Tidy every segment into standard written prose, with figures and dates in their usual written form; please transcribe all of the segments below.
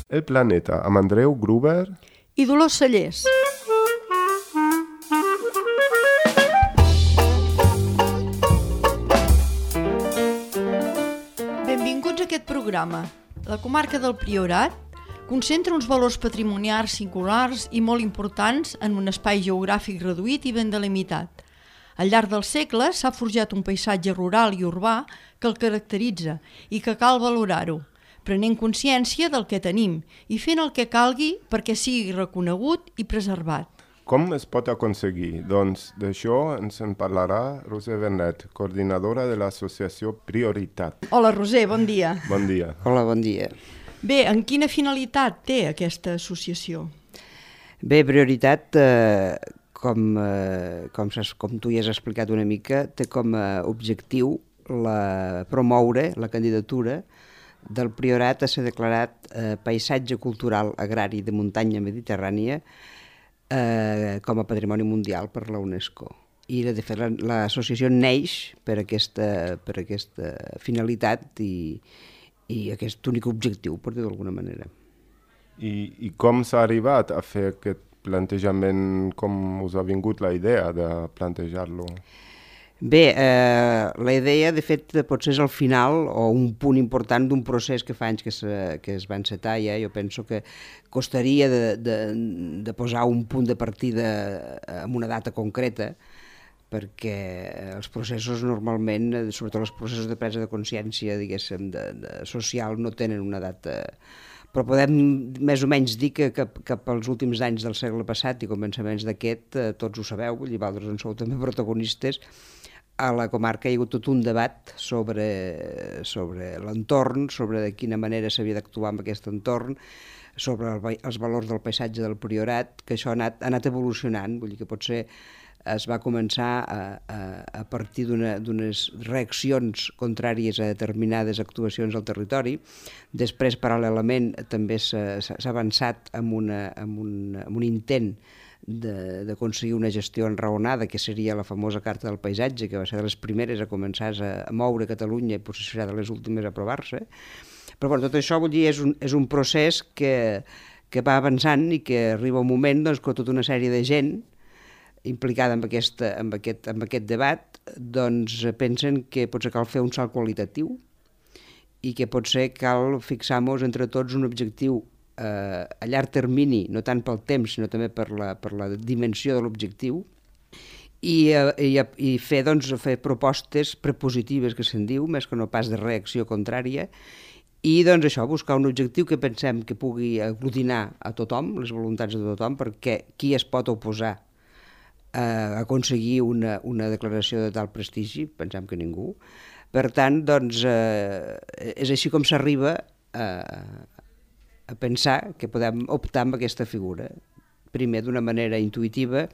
El planeta, amb Andreu Gruber i Dolors Cellers. Benvinguts a aquest programa. La comarca del Priorat concentra uns valors patrimonials singulars i molt importants en un espai geogràfic reduït i ben delimitat. Al llarg dels segles s'ha forjat un paisatge rural i urbà que el caracteritza i que cal valorar-ho, prenent consciència del que tenim i fent el que calgui perquè sigui reconegut i preservat. Com es pot aconseguir? Doncs d'això ens en parlarà Roser Vernet, coordinadora de l'associació Prioritat. Hola Roser, bon dia. Bon dia. Hola, bon dia. Bé, en quina finalitat té aquesta associació? Bé, Prioritat, com tu ja has explicat una mica, té com a objectiu promoure la candidatura del Priorat a ser declarat paisatge cultural agrari de muntanya mediterrània com a patrimoni mundial per la UNESCO. I de fet l'associació neix per aquesta finalitat i aquest únic objectiu, per dir-ho d'alguna manera. I com s'ha arribat a fer aquest plantejament? Com us ha vingut la idea de plantejar-lo? Bé, la idea, de fet, potser és el final o un punt important d'un procés que fa anys que es va encetar ja. Jo penso que costaria de posar un punt de partida amb una data concreta, perquè els processos normalment, sobretot els processos de presa de consciència, diguéssim, social, no tenen una data. Però podem més o menys dir que cap als últims anys del segle passat i començaments d'aquest, tots ho sabeu, vosaltres en sou també protagonistes, a la comarca hi ha hagut tot un debat sobre l'entorn, sobre de quina manera s'havia d'actuar amb aquest entorn, sobre els valors del paisatge del Priorat, que això ha anat evolucionant. Vull dir que potser es va començar a partir d'unes reaccions contràries a determinades actuacions al territori. Després, paral·lelament, també s'ha avançat amb un intent d'aconseguir una gestió enraonada, que seria la famosa Carta del Paisatge, que va ser de les primeres a començar a moure Catalunya i potser serà de les últimes a aprovar-se. Però bueno, tot això, vull dir, és un procés que va avançant i que arriba un moment doncs, que tota una sèrie de gent implicada en aquest debat doncs, pensen que potser cal fer un salt qualitatiu i que potser cal fixar-nos entre tots un objectiu a llarg termini, no tant pel temps, sinó també per la dimensió de l'objectiu, i fer propostes prepositives, que se'n diu, més que no pas de reacció contrària, i doncs això, buscar un objectiu que pensem que pugui aglutinar a tothom, les voluntats de tothom, perquè qui es pot oposar a aconseguir una declaració de tal prestigi? Pensem que ningú. Per tant, doncs, és així com s'arriba a pensar que podem optar amb aquesta figura, primer d'una manera intuïtiva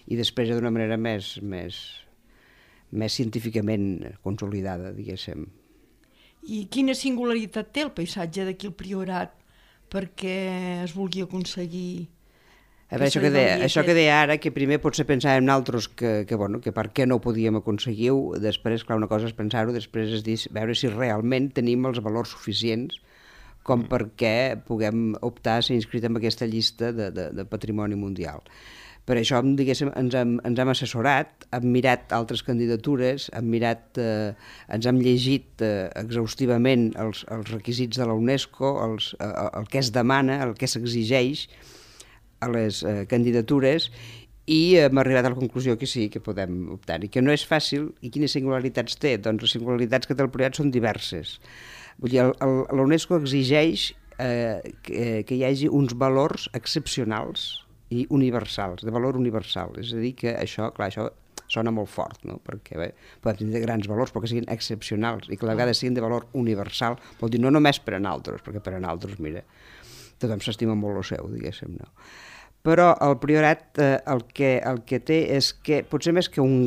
i després d'una manera més científicament consolidada, diguéssim. I quina singularitat té el paisatge d'aquí al Priorat perquè es vulgui aconseguir? A veure, això que deia ara, que primer potser pensàvem nosaltres que per què no ho podíem aconseguir-ho, després, clar, una cosa és pensar-ho, després és dir, veure si realment tenim els valors suficients com perquè puguem optar a ser inscrit en aquesta llista de patrimoni mundial. Per això, diguéssim, ens hem assessorat, hem mirat altres candidatures, ens hem llegit exhaustivament els requisits de la UNESCO, el que es demana, el que s'exigeix a les candidatures, i hem arribat a la conclusió que sí, que podem optar, i que no és fàcil. I quines singularitats té? Doncs les singularitats que té el Priorat són diverses. Vull dir, la UNESCO exigeix que hi hagi uns valors excepcionals i universals, de valor universal. És a dir, que això sona molt fort, no? Perquè bé, podem tenir grans valors, però que siguin excepcionals i que a la vegada siguin de valor universal. Vol dir, no només per a nosaltres, perquè per a nosaltres, mira, tothom s'estima molt el seu, diguéssim, no? Però el Priorat el que té és que potser més que una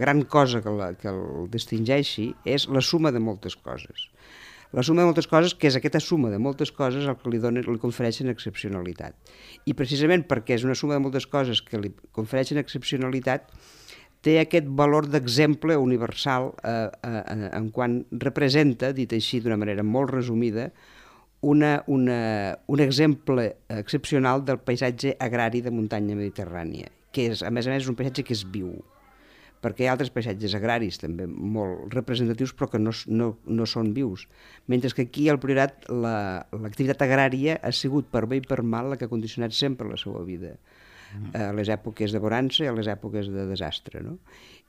gran cosa que el distingeixi és la suma de moltes coses. La suma de moltes coses, que és aquesta suma de moltes coses el que li confereixen excepcionalitat. I precisament perquè és una suma de moltes coses que li confereixen excepcionalitat, té aquest valor d'exemple universal en quan representa, dit així d'una manera molt resumida, un exemple excepcional del paisatge agrari de muntanya mediterrània, que és, a més, és un paisatge que és viu, perquè hi ha altres paisatges agraris també molt representatius però que no són vius, mentre que aquí al Priorat l'activitat agrària ha sigut per bé i per mal la que ha condicionat sempre la seva vida, a les èpoques de bonança i a les èpoques de desastre, no?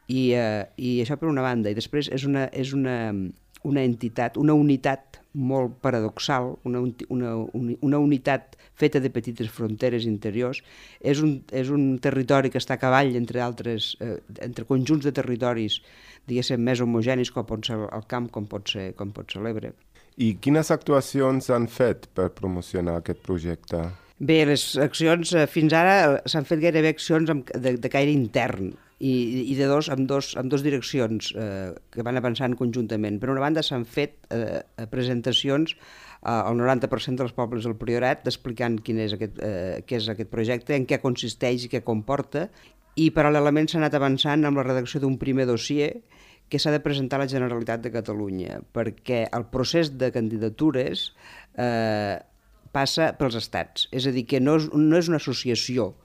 I això per una banda, i després és una entitat, una unitat molt paradoxal, una unitat feta de petites fronteres interiors. És un territori que està a cavall entre conjunts de territoris, diguéssim, més homogenis, com pot ser el camp, com pot ser l'Ebre. I quines actuacions han fet per promocionar aquest projecte? Bé, les accions, fins ara s'han fet gairebé accions de caire intern, i amb dos direccions que van avançant conjuntament. Per una banda s'han fet presentacions al 90% dels pobles del Priorat explicant què és aquest projecte, en què consisteix i què comporta, i paral·lelament s'ha anat avançant amb la redacció d'un primer dossier que s'ha de presentar a la Generalitat de Catalunya, perquè el procés de candidatures passa pels estats, és a dir, que no és una associació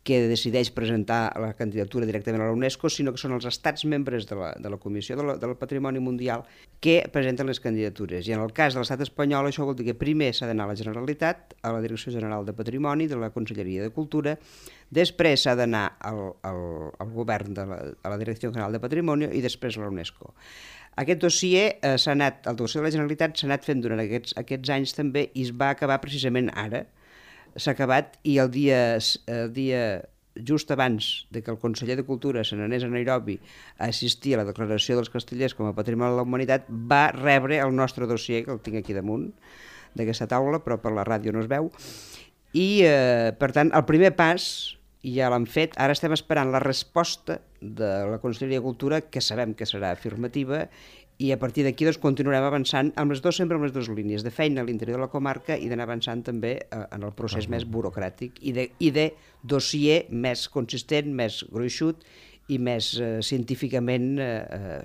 que decideix presentar la candidatura directament a la UNESCO, sinó que són els estats membres de la Comissió del Patrimoni Mundial que presenten les candidatures. I en el cas de l'estat espanyol això vol dir que primer s'ha d'anar a la Generalitat, a la Direcció General de Patrimoni, de la Conselleria de Cultura, després s'ha d'anar al govern, a la Direcció General de Patrimoni i després a la UNESCO. Aquest dossier el dossier de la Generalitat s'ha anat fent durant aquests anys també i es va acabar precisament ara. S'ha acabat i el dia just abans de que el conseller de Cultura se n'anés a Nairobi a assistir a la declaració dels Castellers com a Patrimoni de la Humanitat, va rebre el nostre dossier, que el tinc aquí damunt d'aquesta taula, però per la ràdio no es veu, i per tant el primer pas ja l'han fet, ara estem esperant la resposta de la Conselleria de Cultura, que sabem que serà afirmativa, i a partir d'aquí continuarem avançant sempre amb les dues línies, de feina a l'interior de la comarca i d'anar avançant també en el procés més burocràtic i de dossier més consistent, més gruixut i més científicament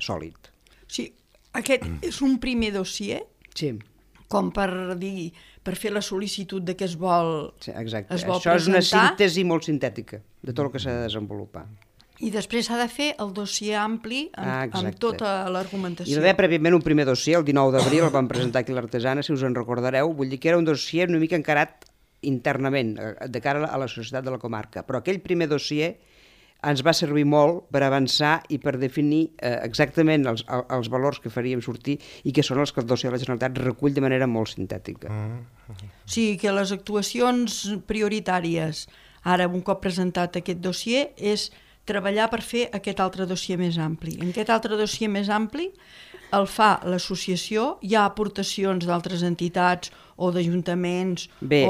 sòlid. Sí, aquest és un primer dossier, sí, com per fer la sol·licitud de què es vol sí, exacte. Això presentar. És una síntesi molt sintètica de tot el que s'ha de desenvolupar. I després s'ha de fer el dossier ampli amb tota l'argumentació. Hi va haver prèviament un primer dossier, el 19 d'abril, el vam presentar aquí a l'Artesana, si us en recordareu, vull dir que era un dossier una mica encarat internament, de cara a la societat de la comarca, però aquell primer dossier ens va servir molt per avançar i per definir exactament els valors que faríem sortir i que són els que el dossier de la Generalitat recull de manera molt sintètica. Sí, que les actuacions prioritàries, ara un cop presentat aquest dossier, és treballar per fer aquest altre dossier més ampli. En aquest altre dossier més ampli el fa l'associació, hi ha aportacions d'altres entitats o d'ajuntaments. Bé,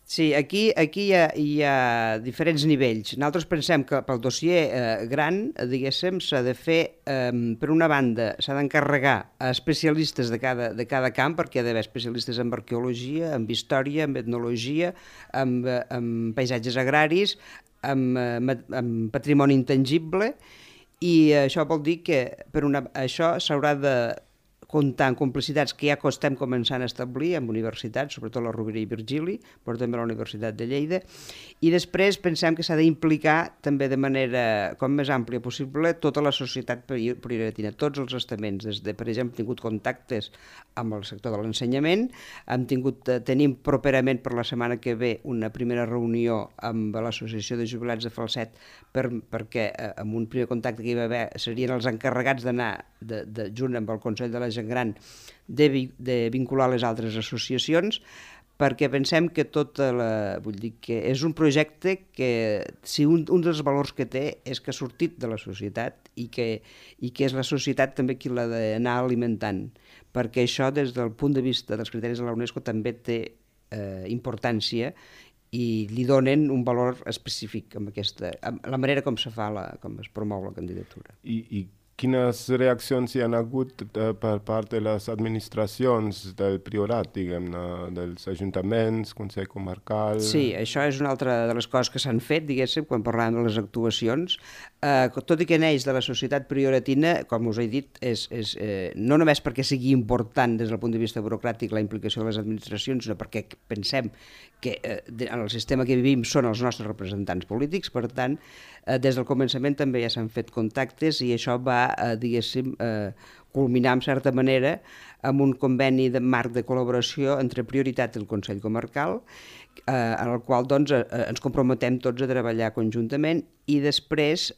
sí, aquí hi ha diferents nivells. Nosaltres pensem que pel dossier gran, diguéssim, s'ha de fer, per una banda, s'ha d'encarregar a especialistes de cada camp, perquè hi ha d'haver especialistes en arqueologia, en història, en etnologia, en paisatges agraris, amb patrimoni intangible, i això vol dir que això s'haurà de comptar amb complicitats que ja estem començant a establir amb universitats, sobretot la Rovira i Virgili, però també la Universitat de Lleida, i després pensem que s'ha d'implicar també de manera com més àmplia possible tota la societat prioritina, tots els estaments, per exemple, hem tingut contactes amb el sector de l'ensenyament, tenim properament per la setmana que ve una primera reunió amb l'Associació de Jubilats de Falset perquè amb un primer contacte que hi va haver serien els encarregats d'anar junt amb el Consell de la Gent Gran de vincular les altres associacions, perquè pensem que vull dir que és un projecte que si un dels valors que té és que ha sortit de la societat i que és la societat també qui l'ha d'anar alimentant, perquè això des del punt de vista dels criteris de la UNESCO també té importància i li donen un valor específic amb la manera com es promou la candidatura. I quines reaccions hi han hagut per part de les administracions del Priorat, diguem-ne, dels ajuntaments, Consell Comarcal... Sí, això és una altra de les coses que s'han fet, diguéssim, quan parlàvem de les actuacions. tot i que neix de la societat prioratina, com us he dit, no només perquè sigui important des del punt de vista burocràtic la implicació de les administracions, sinó perquè pensem que en el sistema que vivim són els nostres representants polítics, per tant, des del començament també ja s'han fet contactes i això va, diguéssim, culminar, en certa manera, amb un conveni de marc de col·laboració entre Prioritat i el Consell Comarcal, en el qual doncs, ens comprometem tots a treballar conjuntament i després,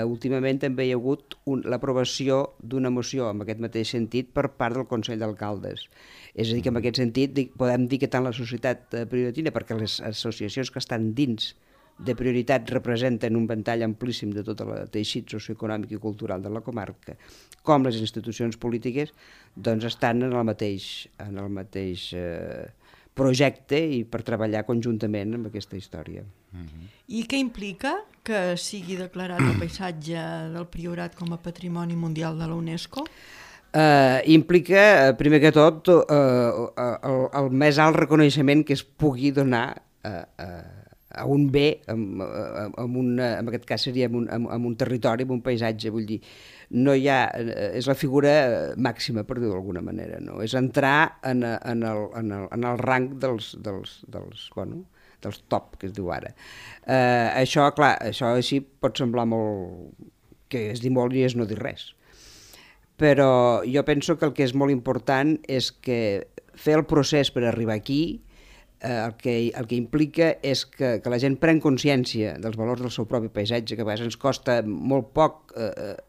últimament, també hi ha hagut l'aprovació d'una moció en aquest mateix sentit per part del Consell d'Alcaldes. És a dir, que en aquest sentit podem dir que tant la societat prioratina, perquè les associacions que estan dins de Prioritat representen un ventall amplíssim de tot el teixit socioeconòmic i cultural de la comarca, com les institucions polítiques, doncs estan en el mateix projecte i per treballar conjuntament amb aquesta història. I què implica que sigui declarat el paisatge del Priorat com a Patrimoni Mundial de la UNESCO? Implica, primer que tot, el més alt reconeixement que es pugui donar a un bé, en aquest cas seria en un territori, en un paisatge, vull dir, no hi ha, és la figura màxima, per dir-ho d'alguna manera, no? És entrar en el rang dels top, que es diu ara. Això, clar, això així pot semblar molt, que es dir molt i és no dir res. Però jo penso que el que és molt important és que fer el procés per arribar aquí el que implica és que la gent pren consciència dels valors del seu propi paisatge, que a vegades ens costa molt poc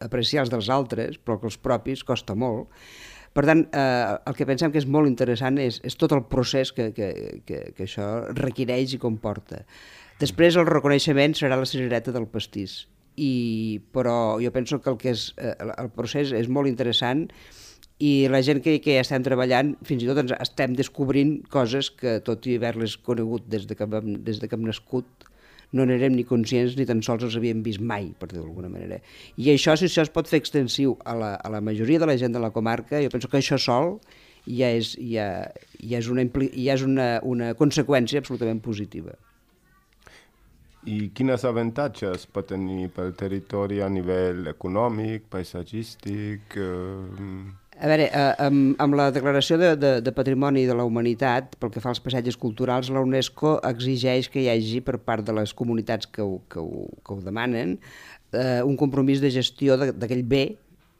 apreciar els dels altres, però que els propis costa molt. Per tant, el que pensem que és molt interessant és tot el procés que això requereix i comporta. Després el reconeixement serà la cirereta del pastís, però jo penso que el procés és molt interessant i la gent que ja estem treballant, fins i tot ens estem descobrint coses que, tot i haver-les conegut des de que hem nascut, no n'érem ni conscients ni tan sols els havíem vist mai, per dir-ho d'alguna manera. I això, si això es pot fer extensiu a la majoria de la gent de la comarca, jo penso que això sol ja és una conseqüència absolutament positiva. I quins avantatges pot tenir pel territori a nivell econòmic, paisatgístic? A veure, amb la declaració de Patrimoni de la Humanitat, pel que fa als paisatges culturals, la UNESCO exigeix que hi hagi, per part de les comunitats que ho demanen, un compromís de gestió d'aquell bé,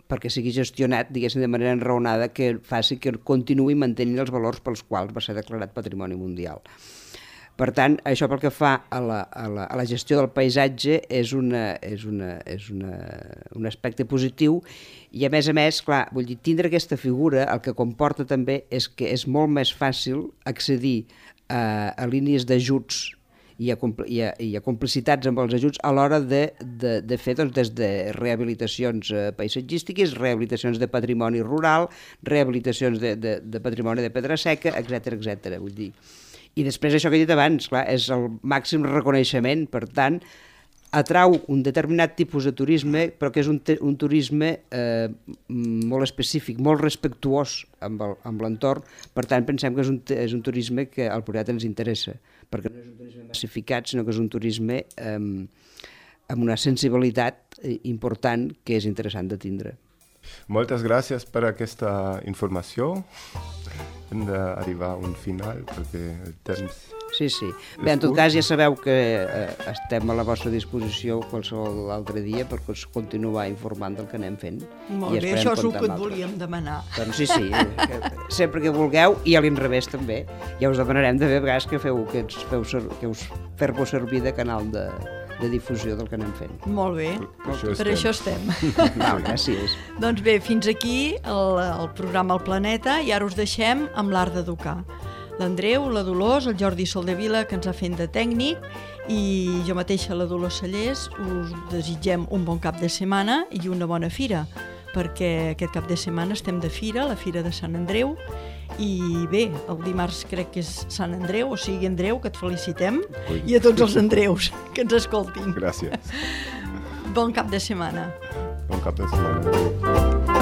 perquè sigui gestionat, diguéssim, de manera enraonada, que faci que continuï mantenint els valors pels quals va ser declarat Patrimoni Mundial. Per tant, això pel que fa a la gestió del paisatge és un aspecte positiu i, a més, clar, vull dir, tindre aquesta figura el que comporta també és que és molt més fàcil accedir a línies d'ajuts i a complicitats amb els ajuts a l'hora de fer des de rehabilitacions paisatgístiques, rehabilitacions de patrimoni rural, rehabilitacions de patrimoni de pedra seca, etc. Vull dir. I després això que he dit abans, clar, és el màxim reconeixement, per tant, atrau un determinat tipus de turisme, però que és un turisme molt específic, molt respectuós amb l'entorn, per tant pensem que és un turisme que al Priorat ens interessa, perquè no és un turisme massificat, sinó que és un turisme amb una sensibilitat important que és interessant de tindre. Moltes gràcies per aquesta informació. Hem d'arribar a un final perquè el temps... Sí. Bé, en tot cas ja sabeu que estem a la vostra disposició qualsevol altre dia per continuar informant del que anem fent. Molt bé, això és el que et volíem demanar. Doncs sí, sempre que vulgueu, i a l'inrevés també. Ja us demanarem de vegades que us feu servir de canal de difusió del que anem fent. Molt bé, per això estem. Gràcies. Doncs bé, fins aquí el programa El Planeta i ara us deixem amb l'Art d'Educar. L'Andreu, la Dolors, el Jordi Soldevila, que ens ha fet de tècnic, i jo mateixa, la Dolors Sallés, us desitgem un bon cap de setmana i una bona fira, perquè aquest cap de setmana estem de fira, la Fira de Sant Andreu, i bé, el dimarts crec que és Sant Andreu, o sigui, Andreu, que et felicitem, i a tots els Andreus que ens escoltin. Gràcies. Bon cap de setmana. Bon cap de setmana.